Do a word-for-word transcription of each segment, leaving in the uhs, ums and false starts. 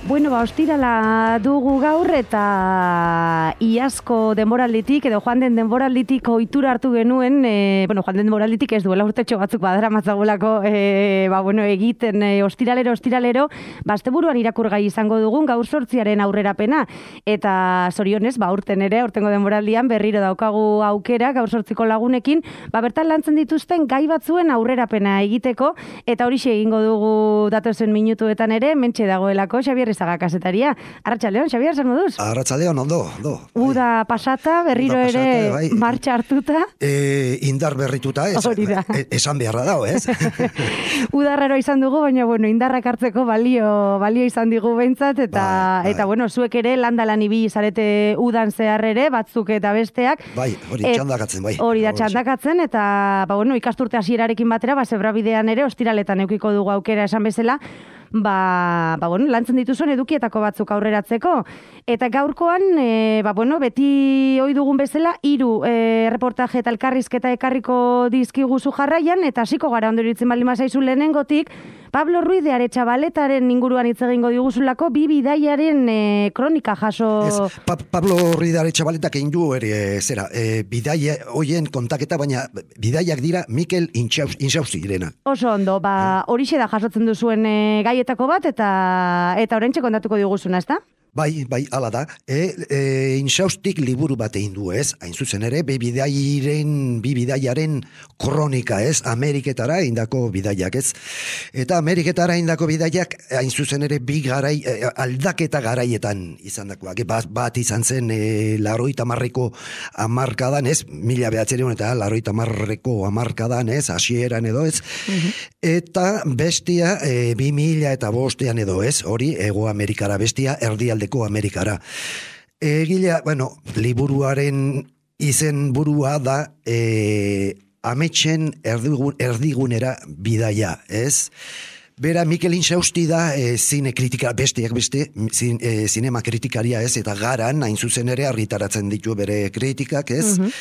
Bueno, ba, ostirala dugu gaur eta iazko denboralditik edo joan den denboralditik ohitura hartu genuen, e, bueno, joan den denboralditik ez duela urtetxo batzuk badara matzagulako, e, ba, bueno, egiten e, ostiralero, ostiralero, ba, asteburuan irakurgai izango dugun gaur sortziaren aurrerapena. Eta zorionez, ba, urten ere, urtengo denboraldian berriro daukagu aukera gaur sortziko lagunekin, ba, bertan lantzen dituzten gai batzuen aurrerapena egiteko, eta horixe egingo dugu datozen minutuetan ere, mentxe dagoelako, Xabier Izaga kasetaria. Arratsaldeon, Xabier, zer moduz? Arratsaldeon, ondo, ondo. Uda pasata, berriro Uda pasata, ere bai. Martxa hartuta. E, indar berrituta, ez, e, esan beharra dago, ez? Udarrero izan dugu, baina, bueno, indarrak hartzeko balio, balio izan digu behintzat, eta, bai, bai. Eta bueno, zuek ere landalan ibili zarete udan zehar ere, batzuk eta besteak. Bai, hori txandakatzen, bai. Hori da txandakatzen, eta, ba, bueno, ikasturte hasierarekin batera, ba, zebrabidean ere, ostiraletan eukiko dugu aukera esan bezala, Ba, ba, bueno, lantzen dituzuen edukietako batzuk aurreratzeko. Eta gaurkoan, e, ba, bueno, beti ohi dugun bezala, hiru e, reportaje eta elkarrizketa ekarriko dizkiguzu jarraian, eta hasiko gara ondoritzen baldin bazaizu lehenengotik, Pablo Ruiz de Aretxabaletaren inguruan hitz egingo diguzulako bi bidaiaren e, kronika jaso... Ez, pa Pablo Ruiz de Aretxabaletak egin du ere, zera, e, bidaia hoien kontaketa, baina bidaiak dira Mikel Inxausti direna. Oso ondo, ba, horixe da jasotzen duzuen e, gaietako bat, eta eta oraintxe kontatuko diguzuna, ezta? Bai, bai, hala da. E, e, Inxaustik liburu bat egin du, ez? Hain zuzen ere, bi bidaiaren, bi bidaiaren kronika, ez? Ameriketara indako bidaiak, ez? Eta Ameriketara indako bidaiak, hain zuzen ere, bi garai, aldaketa garaietan izan dakoak. Bat, bat izan zen, e, laroita marreko amarkadan, ez? Mila behatzerion eta laroita marreko amarkadan, ez? Hasieran edo, ez? Uh-huh. Eta bestia, e, bi mila eta bostean edo, ez? Hori, Ego Amerikara bestia, erdialde Amerikara. Egilea, bueno, liburuaren izen burua da e, ametsen erdigun, erdigunera bidaia, ez? Bera, Mikel Inxausti da e, zine kritika, besteak beste, zin, e, zinema kritikaria, ez? Eta garan, hain zuzen ere, argitaratzen ditu bere kritikak, ez? Uh-huh.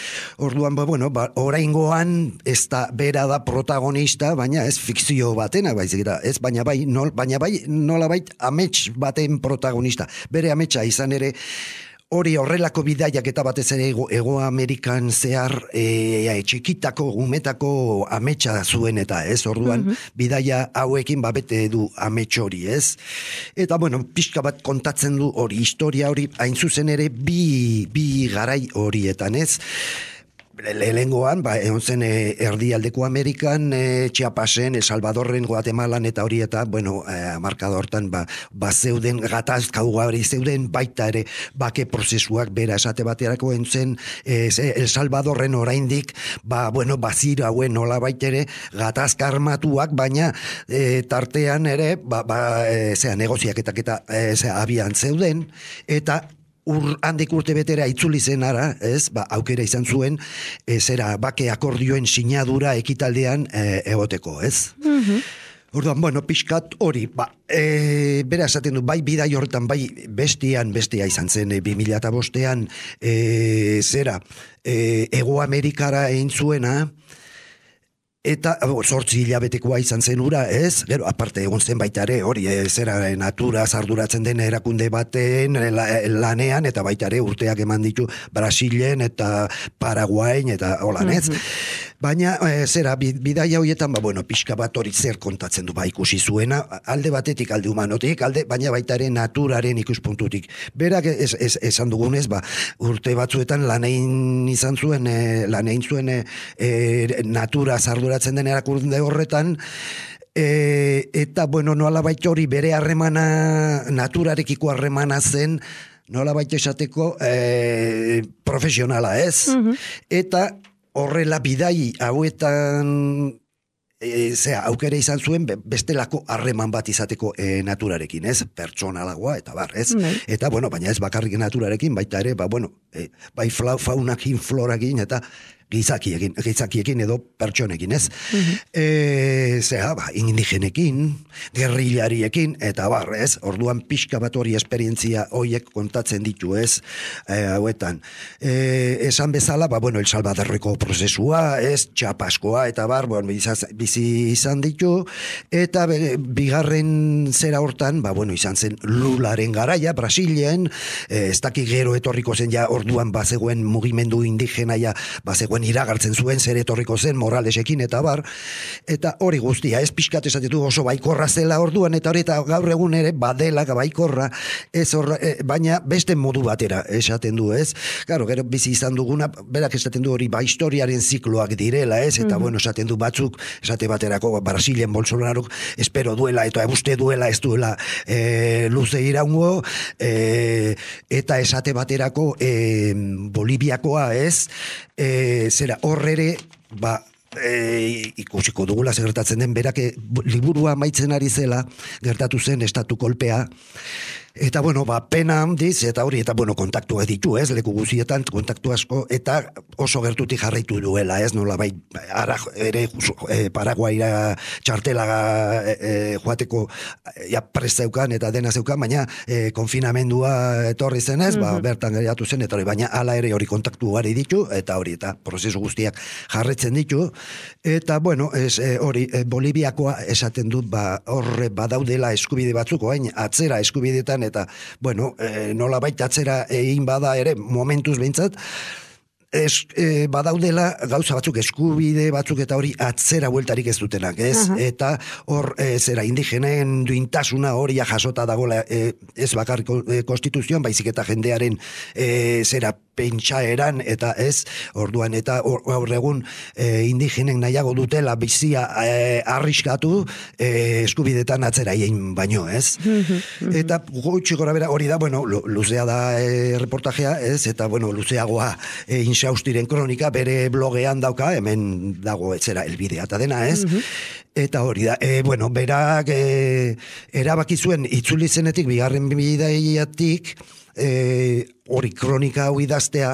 Orduan, ba, bueno, ba, oraingoan ez da, bera da protagonista, baina ez fikzio batena, baizik da, ez? Baina bai, nol, baina bai, nolabait amets baten protagonista. Bere ametsa izan ere, hori horrelako bidaiak eta batez ere Ego, Ego Amerikan zehar e, e, txikitako, umetako ametsa zuen eta ez, orduan uh-huh. bidaia hauekin babete du amets hori, ez? Eta, bueno, pixka bat kontatzen du hori, historia hori, hain zuzen ere bi, bi garai horietan, ez? Lehengoan, ba, egon zen e, erdialdeko Amerikan, e, Chiapasen, El Salvadorren, Guatemalan eta hori eta, bueno, e, markada hortan, ba, ba zeuden, gatazka ugari zeuden, baita ere, bake prozesuak bera esate baterako entzen, e, El Salvadorren oraindik, ba, bueno, bazira hauen nola baitere, gatazka armatuak, baina e, tartean ere, ba, ba e, zera, negoziaketak eta e, zera, abian zeuden, eta Ur, handik urte betera itzuli zen ara, ez, ba, aukera izan zuen, e, zera, bake akordioen sinadura ekitaldean e, egoteko, ez? Mm-hmm. Orduan, bueno, pixkat hori, ba, e, bera esaten du, bai bidai horretan, bai bestian, bestia izan zen, e, bi mila eta bostean, e, zera, e, Ego Amerikara egin zuena, eta zortzi hilabetekoa izan zen ura, ez? Gero, aparte egon zen baita ere, hori, e, zera, natura arduratzen den erakunde baten la, lanean, eta baita ere urteak eman ditu Brasilen eta Paraguain, eta holan, ez? Mm-hmm. Baina, e, zera, bidaia horietan, ba, bueno, pixka bat hori zer kontatzen du, ba, ikusi zuena, alde batetik, alde humanotik, alde, baina baita ere naturaren ikuspuntutik. Berak ez, ez, esan dugunez, ba, urte batzuetan lanein izan zuen, e, lanein zuen e, e, natura arduratzen den erakunde horretan, e, eta, bueno, nola baita hori bere harremana, naturarekiko harremana zen, nola baita esateko e, profesionala, ez? Uh-huh. Eta horrela bidai hauetan E, zera, aukera izan zuen bestelako harreman bat izateko e, naturarekin, ez? Pertsonalagoa, eta bar, ez? Mm. Eta, bueno, baina ez bakarrik naturarekin, baita ere, ba, bueno, e, bai faunakin, florakin, eta gizakiekin, gizakiekin edo pertsonekin, ez? Mm-hmm. E, zera, ba, indigenekin, gerrilariekin, eta bar, ez? Orduan pixka bat hori esperientzia horiek kontatzen ditu, ez? E, hauetan. E, esan bezala, ba, bueno, El Salvadorreko prozesua, ez? Txapaskoa, eta bar, bueno, bizi izan ditu, eta be, bigarren zera hortan, ba, bueno, izan zen Lularen garaia, Brasilen, e, ez daki gero etorriko zen ja orduan bazegoen mugimendu indigena ja, bazegoen iragartzen zuen zer etorriko zen Moralesekin eta bar, eta hori guztia, ez pixkat esatetu oso baikorra zela orduan, eta hori eta gaur egun ere badela baikorra, ez horra, e, baina beste modu batera esaten du, ez? Claro, gero bizi izan duguna, berak esaten du hori ba historiaren zikloak direla, ez? Eta mm-hmm. bueno, esaten du batzuk, esate baterako Brasilen Bolsonarok espero duela, eta uste duela ez duela e, luze iraungo, e, eta esate baterako e, Boliviakoa, ez? E, zera, horrere, ba, e, ikusiko dugula gertatzen den, berak liburua amaitzen ari zela, gertatu zen estatu kolpea, eta, bueno, ba, pena handiz, eta hori, eta, bueno, kontaktua ditu, ez, leku guzietan, kontaktu asko, eta oso gertutik jarraitu duela, ez, nola, bai, ara, ere, e, Paraguaira txartela e, e, joateko, ja, prest zeukan, eta dena zeukan, baina e, konfinamendua etorri zen ez, mm-hmm. ba, bertan geratu zen, eta hori, baina ala ere hori kontaktu gari ditu, eta hori, eta prozesu guztiak jarretzen ditu, eta, bueno, ez, e, hori, e, Boliviakoa esaten dut, ba, horre badaudela eskubide batzuk, oain, atzera eskubidetan, eta, bueno, e, nola baita atzera egin bada ere, momentuz behintzat, es, e, badaudela gauza batzuk, eskubide batzuk eta hori atzera bueltarik ez dutenak, ez? Uh-huh. Eta hor, e, zera, indigenen duintasuna hori jasota dagoela, e, ez bakar e, konstituzioan, baizik eta jendearen e, zera, pentsaeran, eta ez, orduan, eta gaur egun e, indigenen nahiago dutela bizia e, arriskatu e, eskubidetan atzera egin baino, ez? Eta gutxi gora bera hori da, bueno, luzea da e, reportajea, ez? Eta, bueno, luzeagoa e, Insaustiren kronika bere blogean dauka, hemen dago etzera elbidea eta dena, ez? Eta hori da, e, bueno, berak e, erabaki zuen itzuli zenetik, bigarren bidaiatik, e, hori kronika hau idaztea,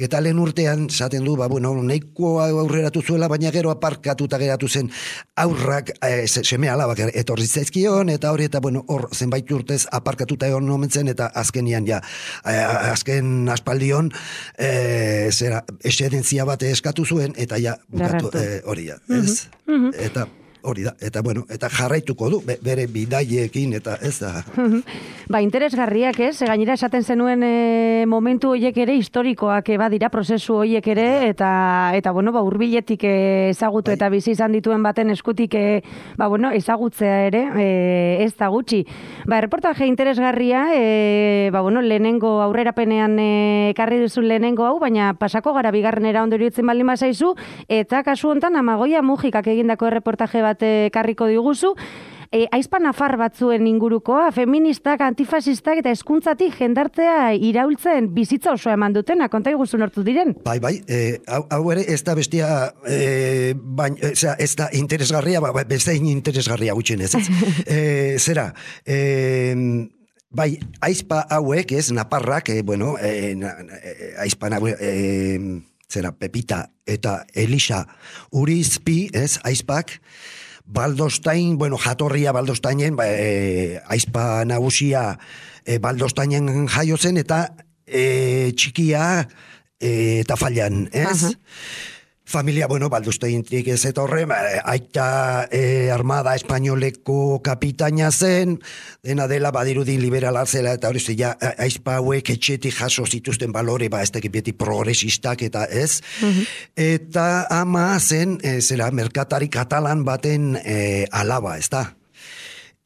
eta lehen urtean zaten du, ba, bueno, nahiko aurreratu zuela, baina gero aparkatuta geratu zen aurrak, e, seme alabak etorri zaizkion, eta hori, eta bueno, hor zenbait urtez aparkatuta egon nomentzen, eta azkenian ja, e, azken aspaldion, e, zera, esedentzia bat eskatu zuen, eta ja, bukatu, e, hori ja, ez? Mm-hmm. Eta hori da, eta bueno, eta jarraituko du, bere bidaiekin, eta ez da. Ba, interesgarriak ez, gainera esaten zenuen e, momentu horiek ere, historikoak e, badira, prozesu horiek ere, eta, eta bueno, ba, urbiletik e, ezagutu bai. Eta bizi izan dituen baten eskutik, e, ba, bueno, ezagutzea ere, e, ez da gutxi. Ba, reportaje interesgarria, e, ba, bueno, lehenengo aurrerapenean e, karri duzu lehenengo hau, baina pasako gara bigarrenera ondo iruditzen baldin bazaizu, eta kasu hontan Amagoia Mujikak egindako reportaje bat karriko diguzu, e, aizpa nafar batzuen ingurukoa, feministak, antifasistak eta hezkuntzatik jendartea iraultzen bizitza oso eman dutena, konta iguzu nortu diren? Bai, bai, e, hau, hau ere ez da bestia, e, bain, e, zera, ez da interesgarria, ba, beste interesgarria gutxen ez. e, zera, e, bai, aizpa hauek, ez, naparrak, e, bueno, e, e, aizpa hauek, e, zera, Pepita eta Elisa Urizpi, ez, aizpak, Baldostain, bueno, jatorria Baldostainen, ba, e, aizpa nagusia e, Baldostainen jaio zen, eta e, txikia e, Tafallan, ez? Uh-huh. Familia, bueno, Baldostaintik ez eta horre, aita e, armada espainoleko kapitaina zen, dena dela badirudi liberala zela, eta hori ja, aizpa hauek etxetik jaso zituzten balore, ba, ez tekit beti progresistak eta ez, uh-huh. Eta ama zen, e, zera, merkatari katalan baten e, alaba, ez da?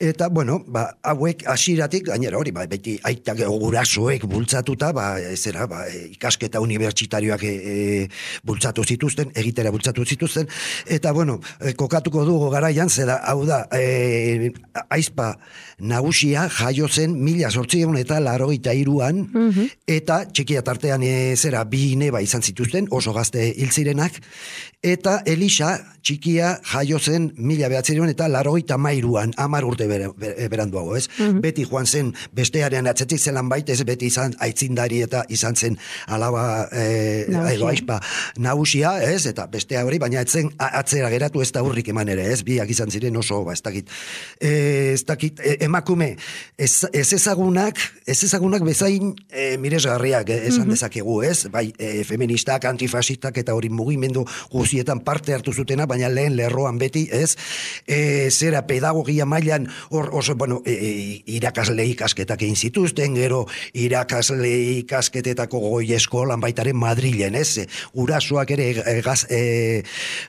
Eta, bueno, ba, hauek hasiratik gainera hori, ba, beti aitak gurasoek bultzatuta, ba, zera, ba, ikasketa unibertsitarioak e, e, bultzatu zituzten, egitera bultzatu zituzten, eta, bueno, e, kokatuko dugu garaian, zera, hau da, e, aizpa nagusia jaio zen mila zortziehun eta laurogeita hiruan, mm-hmm. eta txikia tartean e, zera, bi neba izan zituzten, oso gazte hil zirenak, eta Elisa txikia jaio zen mila behatziehun eta laurogeita hamairuan, hamar urte bere, bere, beranduago, ez? Mm-hmm. Beti joan zen bestearen atzetik zelan baita, ez beti izan aitzindari eta izan zen alaba e, edo aizpa nagusia, ez? Eta bestea hori, baina etzen atzera geratu ez da hurrik eman ere, ez? Biak izan ziren oso, ba, ez dakit, e, ez dakit, e, emakume, ez, ez ezagunak, ez ezagunak bezain e, miresgarriak esan mm-hmm. dezakegu, ez? Bai, e, feministak, antifasistak eta hori mugimendu guzietan parte hartu zutena, baina lehen lerroan beti, ez? E, zera pedagogia mailan hor oso, bueno, e, irakasle ikasketak egin zituzten, gero irakasle ikasketetako goi eskolan baitaren Madrilen, ez? Gurasoak ere e, gaz, e,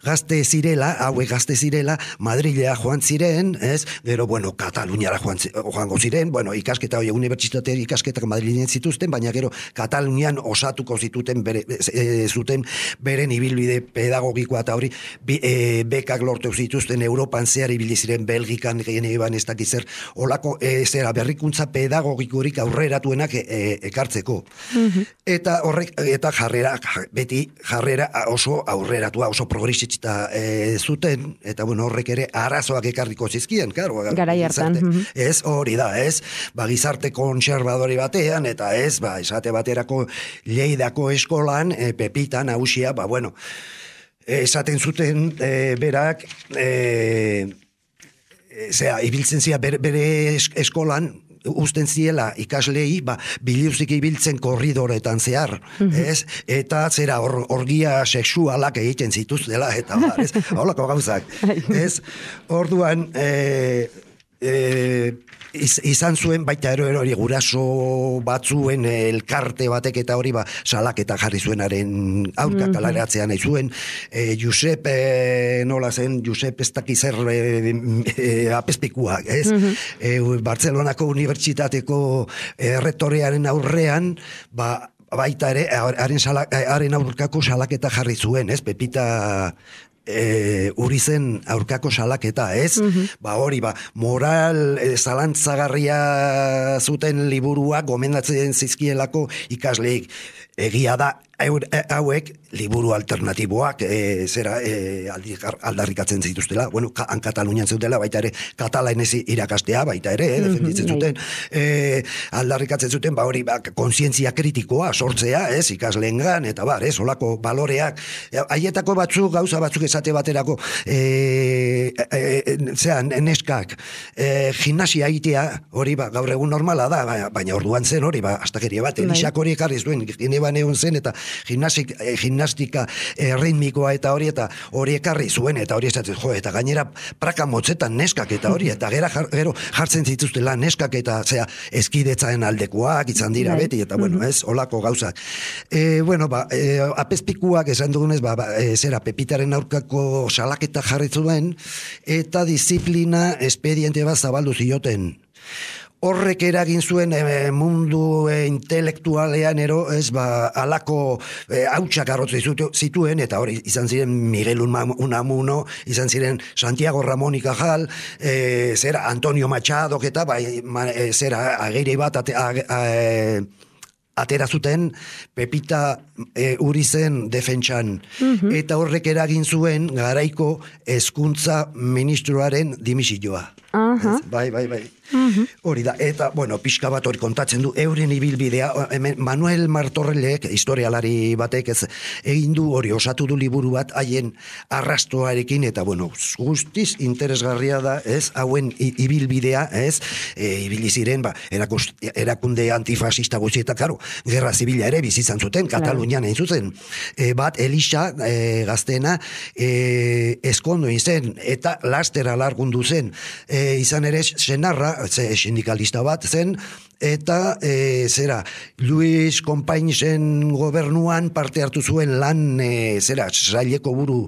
gazte zirela, hauek gazte zirela, Madrilea joan ziren, ez? Gero, bueno, Kataluniara joan, joango ziren, bueno, ikasketa hori unibertsitate ikasketak Madrilen zituzten, baina gero Katalunian osatuko zituten bere, e, zuten beren ibilbide pedagogikoa eta hori bi, e, bekak lortu zituzten Europan zehar ibili ziren Belgikan geneban ez dakiz zer olako e, zera berrikuntza pedagogikorik aurreratuenak e, e, ekartzeko. Mm-hmm. Eta horrek eta jarrera beti jarrera oso aurreratua, oso progresista e, zuten eta bueno, horrek ere arazoak ekarriko zizkien, claro, garai hartan. Mm-hmm. Ez hori da, ez? Ba gizarte kontserbadori batean eta ez, ba esate baterako Lleidako eskolan e, Pepita nagusia, ba bueno, esaten zuten e, berak e, zera, ibiltzen zia bere, bere eskolan usten ziela ikaslei, ba, biliuzik ibiltzen korridoretan zehar, mm-hmm. ez? Eta zera or, orgia sexualak egiten zituztela, eta bar, ez? Holako gauzak, ez? Orduan, e, e, iz, izan zuen baita ero hori guraso batzuen elkarte batek eta hori ba salaketa jarri zuenaren aurka mm-hmm. kalaratzean nahi zuen e, Josep e, nola zen Josep ez dakiz zer e, e, apespikuak, ez? Mm-hmm. E, Bartzelonako unibertsitateko erretorearen aurrean ba baita ere haren haren aurkako salaketa jarri zuen, ez? Pepita E, uri zen aurkako salaketa, ez? Mm-hmm. Ba hori, ba, moral e, zalantzagarria zuten liburuak gomendatzen zizkielako ikasleik. Egia da, hauek liburu alternatiboak e, zera e, aldarrikatzen zituztela, bueno, han Katalunian zeutela, baita ere katalanez irakastea, baita ere, eh, defenditzen zuten, e, aldarrikatzen zuten, ba hori, ba, kontzientzia kritikoa sortzea, ez, ikasleengan, eta bar, ez, olako baloreak, haietako batzuk, gauza batzuk esate baterako, e, e, e, zera, neskak, e, gimnasia egitea, hori, ba, gaur egun normala da, baina orduan zen hori, ba, astakeria bat, Elisak hori ekarri zuen, Geneban egon zen, eta gimnastik, eh, gimnastika eh, ritmikoa eta hori, eta hori ekarri zuen, eta hori esatzen, jo, eta gainera praka motzetan neskak eta hori, eta gera, jar, gero jartzen zituztela neskak eta, zera, eskidetzaen aldekoak izan dira beti, eta bueno, ez, olako gauzak. E, bueno, ba, e, apespikuak esan dugunez, ba, ba e, zera, Pepitaren aurkako salaketa jarri zuen, eta disiplina espediente bat zabaldu zioten. Horrek eragin zuen e, mundu e, intelektualean ero, ez ba, alako e, hautsak arrotze zituen, eta hori izan ziren Miguel Unamuno, izan ziren Santiago Ramón y Cajal, e, zera Antonio Machado, eta bai, ma, e, zera ageire bat ate, a, a, a, atera zuten Pepita e, uri zen defentsan. Mm-hmm. Eta horrek eragin zuen garaiko hezkuntza ministroaren dimisioa. Uh-huh. Bai, bai, bai. Mm-hmm. Hori da, eta, bueno, pixka bat hori kontatzen du, euren ibilbidea, Manuel Martorrellek, historialari batek ez, egin du hori, osatu du liburu bat, haien arrastoarekin, eta, bueno, guztiz interesgarria da, ez, hauen ibilbidea, ez, e, ibili ziren, ba, erakus, erakunde antifasista guzti, eta, karo, gerra zibila ere bizizan zuten, Katalunian egin zuzen, e, bat, Elisa, e, gaztena, e, eskondo izen, eta laster alargundu zen, e, izan ere, senarra, ze sindikalista bat zen, eta e, zera, Luis Companisen gobernuan parte hartu zuen lan, e, zera, saileko buru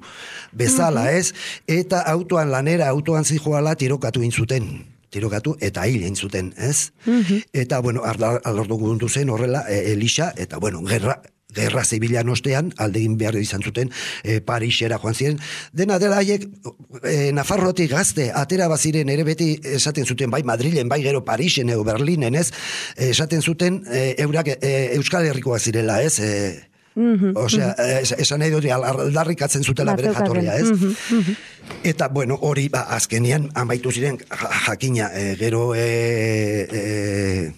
bezala, mm-hmm. ez? Eta autoan lanera, autoan zijoala tirokatu intzuten. tirokatu, eta hil egin zuten, ez? Mm-hmm. Eta, bueno, alordu gundu zen horrela, e, Elisa, eta, bueno, gerra, gerra zibilan ostean, aldegin behar izan zuten, e, Parisera joan ziren. Dena dela haiek, e, Nafarrotik gazte, atera baziren ere beti esaten zuten, bai Madrilen, bai gero Parisen, edo Berlinen, ez? Esaten zuten, e, eurak e, Euskal Herrikoa zirela, ez? E, Mm-hmm, Osea, mm-hmm. esan nahi dut, aldarrikatzen zutela bere jatorria, ez? Mm-hmm, mm-hmm. Eta, bueno, hori, ba, azkenian, amaitu ziren, jakina, e, gero, e, e,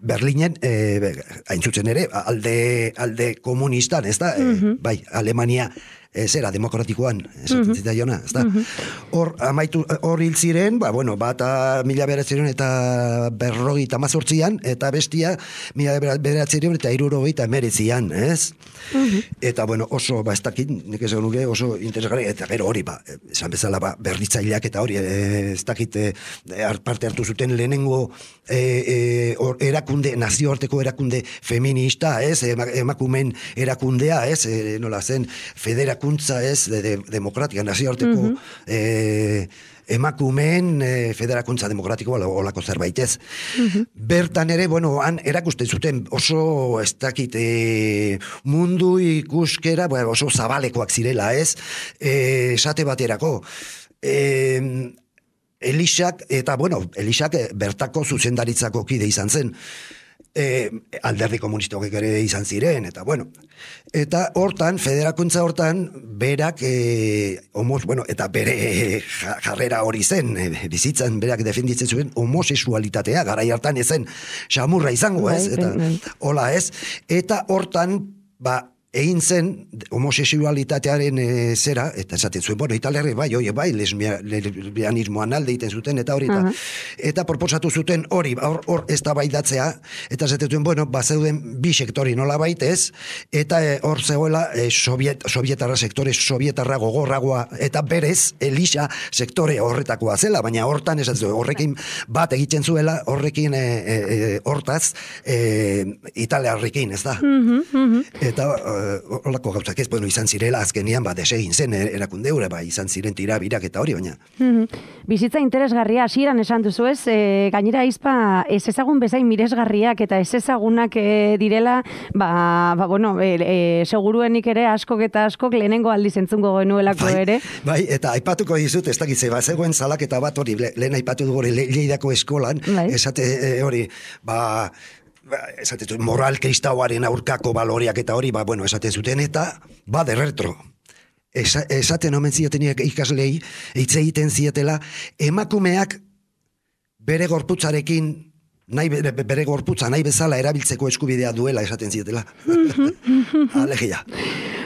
Berlinen, e, hain zuzen ere, alde, alde komunistan, ez da? Mm-hmm. E, bai, Alemania, e, zera, demokratikoan, esaten mm-hmm. zita jona, ez da? Hor, mm-hmm. amaitu, hor hil ziren, ba, bueno, bata mila beratzen eta berrogi eta mazortzian, eta bestia mila beratzen eta irurogei eta emeretzian, ez? Mm-hmm. Eta, bueno, oso, ba, ez dakit, nik esan nuke, oso interesgarri, eta gero hori, ba, esan bezala, ba, berritzaileak eta hori, e, ez dakit, e, parte hartu zuten lehenengo e, e, or, erakunde, nazioarteko erakunde feminista, ez? Emakumen erakundea, ez? E, nola zen, federa kuntza ez, de, de, demokratika, nazioarteko mm-hmm. eh, emakumeen eh, federakuntza demokratikoa olako zerbait ez. Mm-hmm. Bertan ere, bueno, han erakusten zuten oso, ez dakit, eh, mundu ikuskera, bueno, oso zabalekoak zirela ez, eh, esate baterako. Eh, Elisak, eta bueno, Elisak bertako zuzendaritzako kide izan zen. E, alderdi komunistok ere izan ziren, eta bueno, eta hortan, federakuntza hortan, berak, e, homos, bueno, eta bere jarrera hori zen, e, bizitzan berak defenditzen zuen homosexualitatea, garai hartan ezen xamurra izango, ez? Eta, hola, ez? Eta hortan, ba, egin zen homosexualitatearen e, zera, eta esaten zuen, bueno, italiarri bai, oie bai, lesbianismoan alde egiten zuten, eta hori, uh -huh. eta proposatu zuten hori, hor, hor ez da baidatzea, eta esaten zuen, bueno, bazeuden bi sektori nola baitez, eta e, hor zegoela e, soviet, sovietarra sektore, sovietarra gogorragoa, eta berez, Elisa sektore horretakoa zela, baina hortan esaten zuen, horrekin bat egiten zuela, horrekin e, e, hortaz, e, italiarrekin, ez da? Uh -huh, uh -huh. Eta holako gauzak ez, bueno, izan zirela azkenian, ba, desegin zen erakundeure, ba, izan ziren tirabirak eta hori, baina. Mm-hmm. Bizitza interesgarria, hasieran esan duzu ez, e, gainera izpa, ez ezagun bezain miresgarriak eta ez ezagunak e, direla, ba, ba bueno, e, e, seguruenik ere askok eta askok lehenengo aldiz entzungo genuelako bai, ere. Bai, eta aipatuko dizut, ez dakitze, ba, zegoen salaketa bat hori, lehen aipatu dugu hori Lleidako eskolan, bai. Esate e, hori, ba, esaten moral kristauaren aurkako baloreak eta hori, ba, bueno, esaten zuten, eta ba, derretro. Esa, esaten omen zieteniak ikaslei, hitz egiten zietela, emakumeak bere gorputzarekin, nahi bere, bere gorputza nahi bezala erabiltzeko eskubidea duela esaten zietela. Alegia.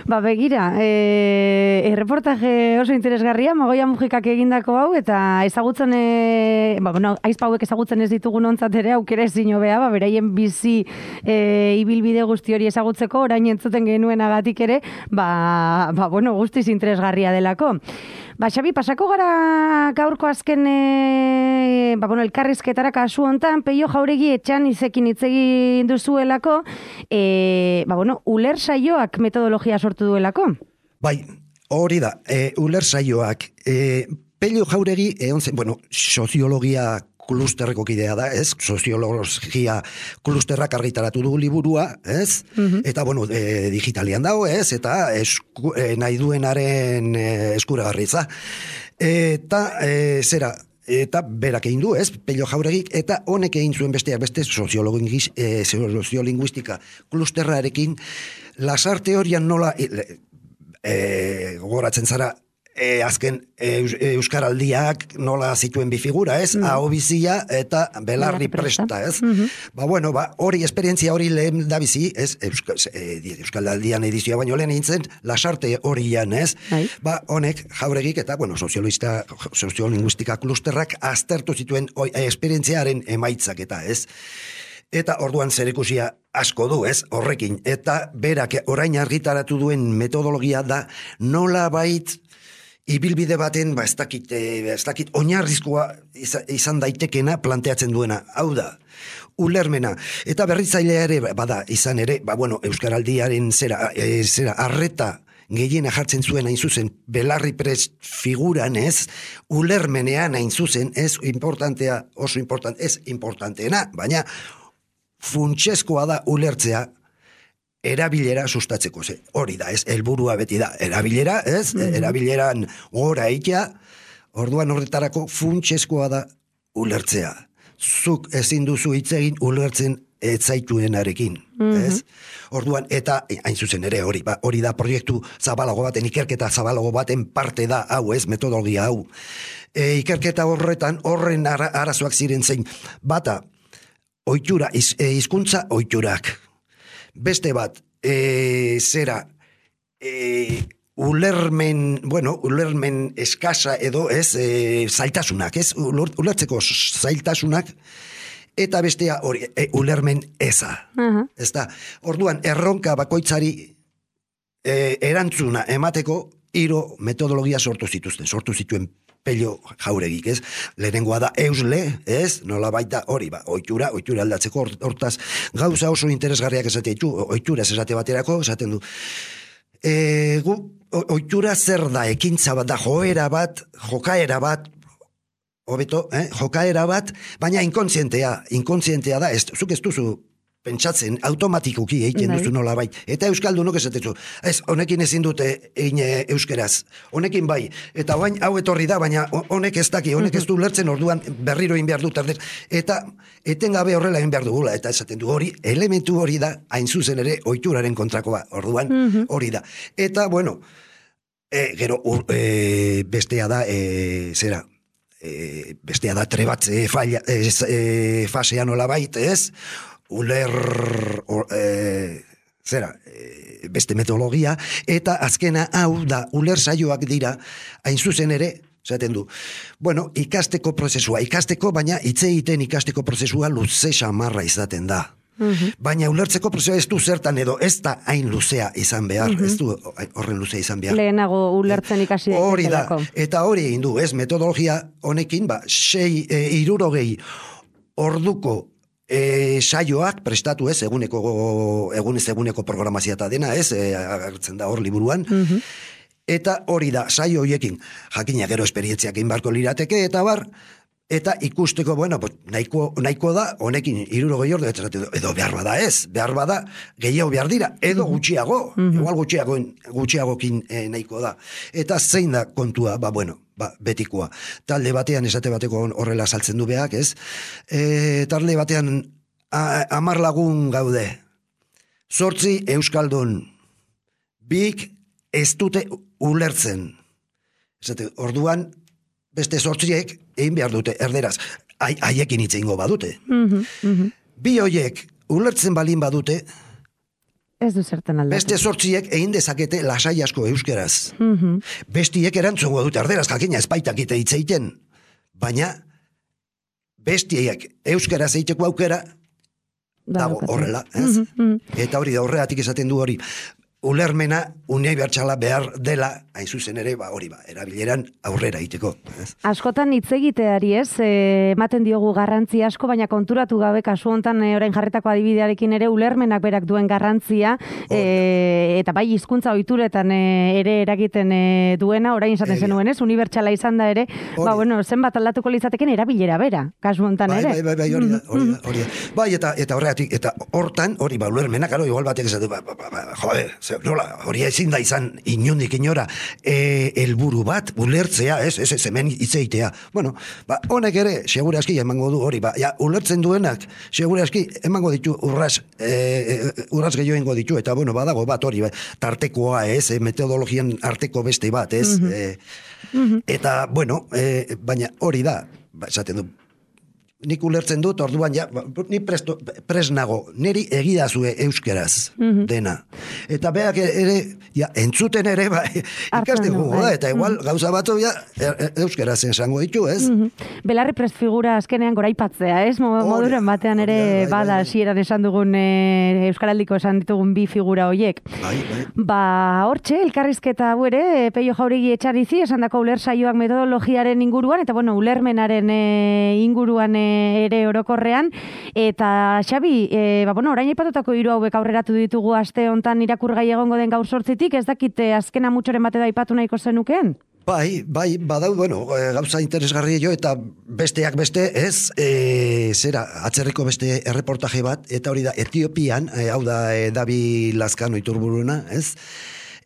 Ba, begira, e, erreportaje oso interesgarria, Magoia Mujikak egindako hau, eta ezagutzen, e, ba, bueno, aizpauek ezagutzen ez ditugun ontzat ere, aukera ezin hobea, ba, beraien bizi e, ibilbide guzti hori ezagutzeko, orain entzuten genuen agatik ere, ba, ba, bueno, guztiz interesgarria delako. Ba, Xabi, pasako gara gaurko azken, e, ba, bueno, elkarrizketara kasu hontan, Peio Jauregi etxan izekin hitz egin duzuelako, e, ba, bueno, uler saioak metodologia sortu duelako. Bai, hori da, e, uler saioak, e, Peio Jauregi, e, onzen, bueno, soziologia klusterreko kidea da, ez? Soziologia klusterrak argitaratu du liburua, ez? Mm-hmm. Eta, bueno, e, digitalian dago, ez? Eta esku, e, nahi duenaren e, eskuragarritza. Eta, e, zera, eta berak egin du, ez? Peio Jauregik, eta honek egin zuen besteak beste e, soziolinguistika klusterrarekin, lasar teorian nola, e, e, gogoratzen zara, E, azken e, euskaraldiak nola zituen bi figura, ez? Mm. Aho bizia eta belarri presta, ez? Mm-hmm. Ba, bueno, ba, hori esperientzia hori lehen da bizi, ez? Euskal, e, euskaraldian edizioa baino lehen eintzen, lasarte horian, ez? Ai. Ba, honek, Jauregik eta, bueno, soziolista, soziolinguistika klusterrak aztertu zituen oi, esperientziaren emaitzak eta, ez? Eta orduan zerikusia asko du, ez? Horrekin. Eta berak orain argitaratu duen metodologia da nola bait ibilbide baten, ba, ez dakit, ez dakit, oinarrizkoa izan daitekena planteatzen duena. Hau da, ulermena. Eta berritzailea ere, bada, izan ere, ba, bueno, euskaraldiaren zera, e, zera, arreta gehiena jartzen zuen hain zuzen, belarri prest figuran ez, ulermenean hain zuzen, ez importantea, oso important, ez importanteena, baina funtsezkoa da ulertzea, erabilera sustatzeko, ze, hori da, ez, helburua beti da, erabilera, ez, mm-hmm. erabileran gora eitea, orduan horretarako funtsezkoa da ulertzea. Zuk ezin duzu hitz egin ulertzen etzaituenarekin, mm-hmm. ez? Orduan, eta hain zuzen ere hori, ba, hori da proiektu zabalago baten, ikerketa zabalago baten parte da, hau ez, metodologia hau. E, ikerketa horretan, horren ara, arazoak ziren zein, bata, ohitura, iz, e, hizkuntza ohiturak. Beste bat, e, zera, e, ulermen, bueno, ulermen eskasa edo, ez, e, zailtasunak, ez, ulertzeko zailtasunak, eta bestea hori, e, ulermen eza. Uh-huh. Ez da, orduan, erronka bakoitzari e, erantzuna emateko, hiru metodologia sortu zituzten, sortu zituen Pello Jauregik, ez? Lehenengoa da eusle, ez? Nola baita hori, ba, ohitura, ohitura aldatzeko, hortaz, gauza oso interesgarriak esate ditu, ohitura esate baterako, esaten du. E, gu, ohitura zer da, ekintza bat da, joera bat, jokaera bat, hobeto, eh? jokaera bat, baina inkontzientea, inkontzientea da, ez, zuk ez duzu pentsatzen, automatikoki egiten duzu nola bai. Eta euskaldunok esatezu, ez, honekin ezin dute egin euskeraz, honekin bai, eta bain, hau etorri da, baina honek ez daki, honek ez du lertzen, orduan berriro egin behar dut, eta etengabe horrela egin behar dugula, eta esaten du hori, elementu hori da, hain zuzen ere, ohituraren kontrakoa, orduan hori da. Eta, bueno, e, gero, ur, e, bestea da, e, zera, e, bestea da trebatze falla, e, e, fasea nola baita, ez? Uler, or, e, zera, e, beste metodologia, eta azkena hau da, uler saioak dira, hain zuzen ere, zaten du, bueno, ikasteko prozesua, ikasteko, baina hitz egiten ikasteko prozesua luze xamarra izaten da. Uh-huh. Baina ulertzeko prozesua ez du zertan edo ez da hain luzea izan behar, uh-huh. ez du horren luzea izan behar. Lehenago ulertzen ikasi hori da, eta hori egin du, ez, metodologia honekin, ba, sei, e, irurogei orduko E, saioak prestatu ez, eguneko egunez eguneko programazia eta dena ez, e, agertzen da hor liburuan, uh-huh. eta hori da, saio hoiekin, jakina gero esperientziak inbarko lirateke, eta bar, eta ikusteko, bueno, nahiko, nahiko da, honekin hirurogei ordu, edo behar bada ez, behar bada, gehiago behar dira, edo gutxiago, uh-huh. igual gutxiago, gutxiagokin e, nahiko da, eta zein da kontua, ba, bueno, ba, betikoa. Talde batean, esate bateko horrela saltzen du beak, ez? E, talde batean hamar lagun gaude. Zortzi euskaldun. Bik ez dute ulertzen. Esate, orduan, beste zortziek egin behar dute, erderaz. Haiekin hitz egingo badute. Mm-hmm, mm-hmm. Bi hoiek ulertzen balin badute, ez du zertan aldatu. Beste sortziek egin dezakete lasai asko euskeraz. Mm-hmm. Bestiek erantzungo dute erderaz, jakina espaitakite hitz egiten. Baina, bestiek euskeraz egiteko aukera, dago horrela. Ez? Mm-hmm. Eta hori da horregatik esaten du hori. Ulermena unibertsala behar dela, hain zuzen ere, ba, hori ba, erabileran aurrera egiteko. Ez? Askotan hitz egiteari ez, e, ematen diogu garrantzi asko, baina konturatu gabe kasu hontan e, orain jarretako adibidearekin ere ulermenak berak duen garrantzia, e, eta bai hizkuntza ohituretan e, ere eragiten e, duena, orain esaten zenuen ez, unibertsala izan da ere, hori. Ba, bueno, zenbat aldatuko litzateken erabilera bera, kasu hontan bai, ere. Bai, bai, bai, hori da, hori da, hori da. Bai, eta, eta horregatik, eta hortan, hori ba, ulermenak, aro, igual batek esatu, ba, ba, ba, ba, jode, nola, hori ezin da izan inundik inora e, elburu bat, ulertzea, ez, ez, ez, hemen itzeitea. Bueno, ba, honek ere, segura aski emango du hori, ba, ja, ulertzen duenak, segura aski emango ditu urras, e, urras gehiago ingo ditu, eta, bueno, badago bat hori, ba, tartekoa, ez, e, metodologian arteko beste bat, ez, mm-hmm. e, mm-hmm. eta, bueno, e, baina hori da, ba, esaten du, nik ulertzen dut, orduan ja, ni presto, presnago, niri egidazue euskeraz mm-hmm. dena. Eta beak ere, ja, entzuten ere, ba, ikaste gugu da, eta igual mm-hmm. gauza batu, ja, euskeraz esango ditu, ez? Mm-hmm. Belarri prest figura azkenean goraipatzea, ez? Moduren batean ere bai, bai, bada, bai, sieran esan dugun, e, euskaraldiko esan ditugun bi figura hoiek. Bai, bai. Ba, hortxe, elkarrizketa hau ere, Pello Jauregi etxarizi, esan dako uler saioak metodologiaren inguruan, eta bueno, ulermenaren e, inguruan e, ere orokorrean, eta Xabi, e, ba, bueno, orain aipatutako hiru hauek aurreratu ditugu aste hontan irakurgai egongo den gaur sortzitik, ez dakite azkena mutxoren bate da aipatu nahiko zenukeen? Bai, bai, badau, bueno, gauza interesgarri jo, eta besteak beste, ez, e, zera, atzerriko beste erreportaje bat, eta hori da, Etiopian, e, hau da, e, Dabi Lazkano iturburuna, ez,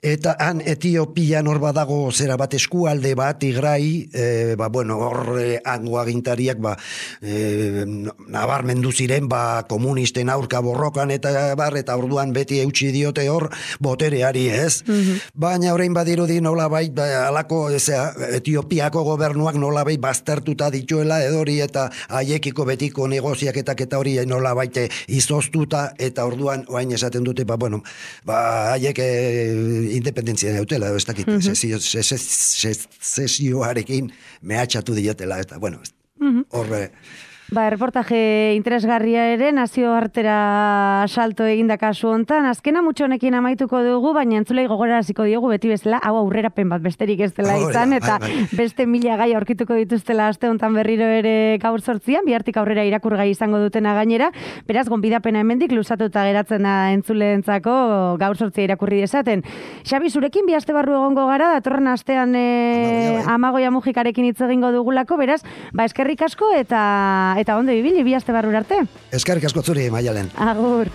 eta han Etiopian hor badago zera bat eskualde bat, Tigrai, e, ba, bueno, hor e, hango agintariak, ba, e, nabarmendu ziren, ba, komunisten aurka borrokan, eta bar, eta orduan beti eutxi diote hor, botereari, ez? Mm-hmm. Baina orain badirudi nolabait, ba, alako, ezea, Etiopiako gobernuak nolabait baztertuta dituela, edori, eta haiekiko betiko negoziaketak eta hori nolabait izoztuta, eta orduan, orain esaten dute, ba, bueno, ba, haiek e, independentzia neutela, ez dakit, mm-hmm. sesioarekin mehatxatu diotela, eta bueno, mm-hmm. horre... Ba, reportaje interesgarria ere, nazio artera salto eginda kasu hontan, azkena mutxo honekin amaituko dugu, baina entzulei gogoraraziko diogu beti bezala, hau aurrerapen bat besterik ez dela izan, eta bai, bai. beste mila gai aurkituko dituztela aste hontan berriro ere gaur sortzian, bihartik aurrera irakurgai izango dutena gainera, beraz, gonbidapena hemendik luzatuta geratzen da entzuleentzako gaur sortzia irakurri dezaten. Xabi, zurekin bi aste barru egongo gara, datorren astean e, Amagoia Mujikarekin hitz egingo dugulako, beraz, ba, eskerrik asko eta eta ondo ibili bi aste barrura arte. Eskerrik asko zuri, Maialen. Agur.